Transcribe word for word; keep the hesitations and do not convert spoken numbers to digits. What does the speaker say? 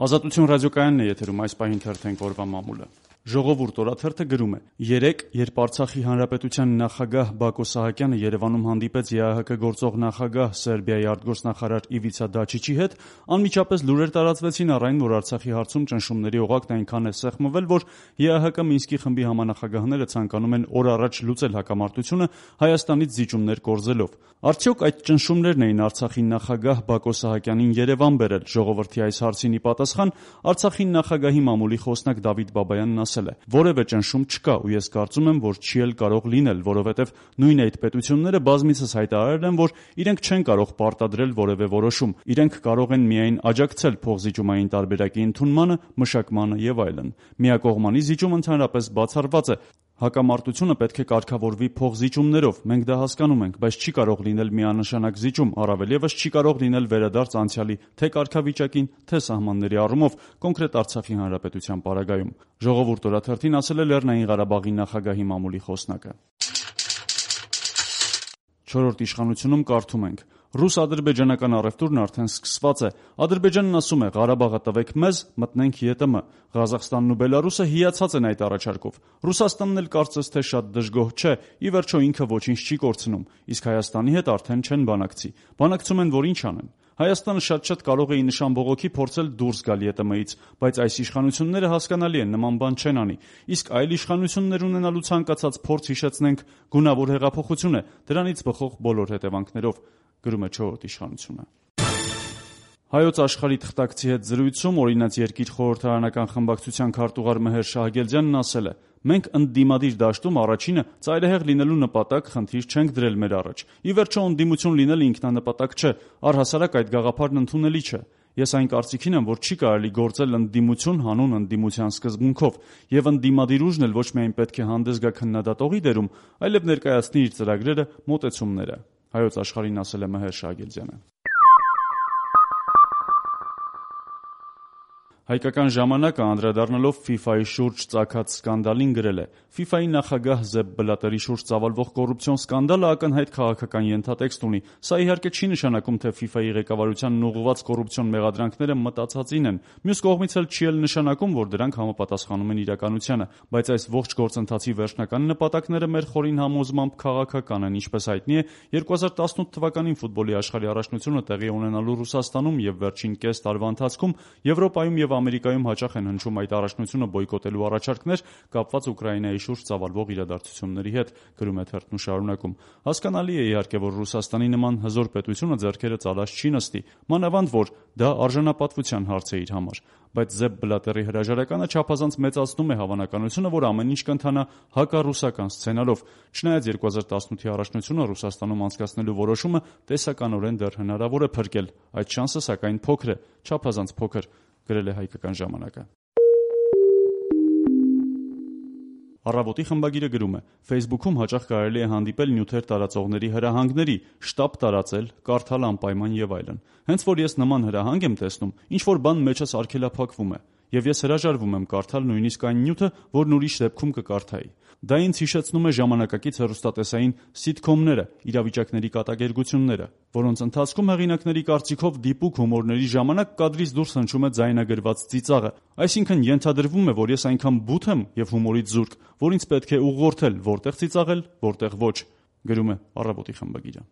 Ազատություն ռադիոկայանն է եթերում, այս պահին թերթենք օրվա մամուլը։ Ժողովուրդ օրաթերթը գրում է. երեկ, երբ Արցախի Հանրապետության նախագահ Բակո Սահակյանը Երևանում հանդիպեց ԵԱՀԿ գործող նախագահ Սերբիայի արտգործնախարար Իվիցա Դաչիչի հետ, անմիջապես լուրեր տարածվեցին առ այն, որ Արցախի հարցում ճնշումների օղակն այնքան է սեղմվել, որ ԵԱՀԿ Մինսկի խմբի համանախագահները ցանկանում են օր առաջ լուծել հակամարտությունը Հայաստանից զիջումներ կորզելով։ Արդյոք այդ ճնշումներն էին Արցախի նախագահ Բակո Սահակյանին Երևան բերել։ Ժողովրդի այս հարցին ի պատասխան Արցախի նախագահի մամուլի խոսնակ Դավիթ Բաբայանն ասել է. որևէ ճնշում չկա ու ես կարծում եմ, որ չի էլ կարող լինել, որովհետև նույն այդ պետությունները բազմիցս հայտարարել են, որ իրենք չեն կարող պարտադրել որևէ որոշում, իրենք կարող են միայն աջակցել փոխզիջումային տարբերակի ընդունմանը, մշակմանը եւ այլն։ Միակողմանի զիջում ընդհանրապես բացառված է։ Հակամարտությունը պետք է կարգավորվի փոխզիջումներով, մենք դա հասկանում ենք, բայց չի կարող լինել միանշանակ զիջում, առավել ևս չի կարող լինել վերադարձ անցյալի թե կարգավիճակին, թե սահմանների առումով, կոնկրետ Արցախի Հանրապետության պարագայում։ Ժողովուրդ օրաթերթին ասել է Լեռնային Ղարաբաղի նախագահի մամուլի խոսնակը։ Չորրորդ իշխանությունում կարդում ենք. Ռուս-ադրբեջանական առևտուրն արդեն սկսված է։ Ադրբեջանն ասում է՝ Ղարաբաղը տվեք մեզ, մտնենք ԵՏՄ։ Ղազախստանն ու Բելարուսը հիացած են այդ առաջարկով։ Ռուսաստանն էլ կարծես թե շատ դժգոհ չէ, ի վերջո ինքը ոչինչ չի կորցնում, իսկ Հայաստանի հետ արդեն չեն բանակցի։ Բանակցում են, որ ինչ անեն։ Հայաստանը շատ-շատ կարող է ի նշան բողոքի փորձել դուրս գալ ԵՏՄ-ից, բայց այս իշխանությունները հասկանալի են, նման բան չեն անի։ Իսկ այլ իշխանություններ ունենալու ցանկացած փորձ, հիշեցնենք, գունավոր հեղափոխություն է, դրանից բխող բոլոր հետևանքներով, գրում է չորրորդ իշխանությունը։ Հայոց Աշխարհի թղթակցի հետ զրույցում Օրինաց երկիր խորհրդարանական խմբակցության քարտուղար Մեհեր Շահգելդյանն ասել է. մենք ընդդիմադիր դաշտում առաջինը ծայրահեղ լինելու նպատակ խնդիր չենք դրել մեր առաջ։ Ի վերջո ընդդիմություն լինելը ինքնանպատակ չէ, առհասարակ այդ գաղափարն ընդունելի չէ։ Ես այն կարծիքին եմ, որ չի կարելի գործել ընդդիմություն հանուն ընդդիմության սկզբունքով, եւ ընդդիմադիր ուժն էլ ոչ միայն պետք է հանդես գա քննադատողի դերում, այլև ներկայացնի իր ծրագրերը, մոտեցումները։ Հայոց Աշխարհին ասել է Մեհեր Շահգելդյանը։ Հայկական ժամանակը անդրադառնալով ՖԻՖԱ-ի շուրջ ծագած սկանդալին գրել է. ՖԻՖԱ-ի նախագահ Զեփ Բլատերի շուրջ ծավալվող կոռուպցիոն սկանդալը ակնհայտ քաղաքական ենթատեքստ ունի։ Սա իհարկե չի նշանակում, թե ՖԻՖԱ-ի ղեկավարությանն ուղղված կոռուպցիոն մեղադրանքները մտածածին են։ Մյուս կողմից էլ չի էլ նշանակում, որ դրանք համապատասխանում են իրականությանը, բայց այս ողջ գործընթացի վերջնական նպատակները մեր խորին համոզմամբ քաղաքական են, ինչպես հայտնի է, երկու հազար տասնութ թվականին ֆուտբոլի աշխարհի առաջնությունը տեղի ունենալու Ռուսաստանում եւ վերջին կես տարվա ընթացքում Եվրոպայում եւ Ամերիկայում հաճախ են հնչում այդ առաջնությունը բոյկոտելու առաջարկներ կապված Ուկրաինայի շուրջ ծավալվող իրադարձությունների հետ, գրում է թերթն ու շարունակում։ Հասկանալի է իհարկե, որ Ռուսաստանի նման հզոր պետությունը ձեռքերը ծալած չի նստի, մանավանդ որ դա արժանապատվության հարց է իր համար, բայց Զեփ Բլատերի հրաժարականը չափազանց մեծացնում է հավանականությունը, որ ամեն ինչ կընթանա հակառուսական սցենարով։ Չնայած երկու հազար տասնութի առաջնությունը Ռուսաստանում անցկացնելու որոշումը տեսականորեն դեռ հնարավոր է փրկել, այդ շանսը սակայն փոքր է, չափազանց փոքր, գրել է Հայկական ժամանակը։ Առավոտի խմբագիրը գրում է. Facebook-ում հաճախ կարելի է հանդիպել նյութեր տարածողների հրահանգների, շտապ տարածել, կարդալ անպայման եւ այլն։ Հենց որ ես նման հրահանգ եմ տեսնում, ինչ որ բան մեջս արգելափակվում է, եւ ես հրաժարվում եմ կարդալ նույնիսկ այն նյութը, որն ուրիշ դեպքում կկարդայի։ Դա ինձ հիշեցնում է ժամանակակից հեռուստատեսային սիթքոմները, իրավիճակների կատակերգությունները, որոնց ընթացքում հեղինակների կարծիքով դիպուկ հումորների ժամանակ կադրից դուրս հնչում է ձայնագրված ծիծաղը։ Այսինքն ենթադրվում է, որ ես այնքան բութ եմ եւ հումորից զուրկ, որ ինձ պետք է ուղղորդել որտեղ ծիծաղել, որտեղ ոչ, գրում է Առավոտի խմբագիրը։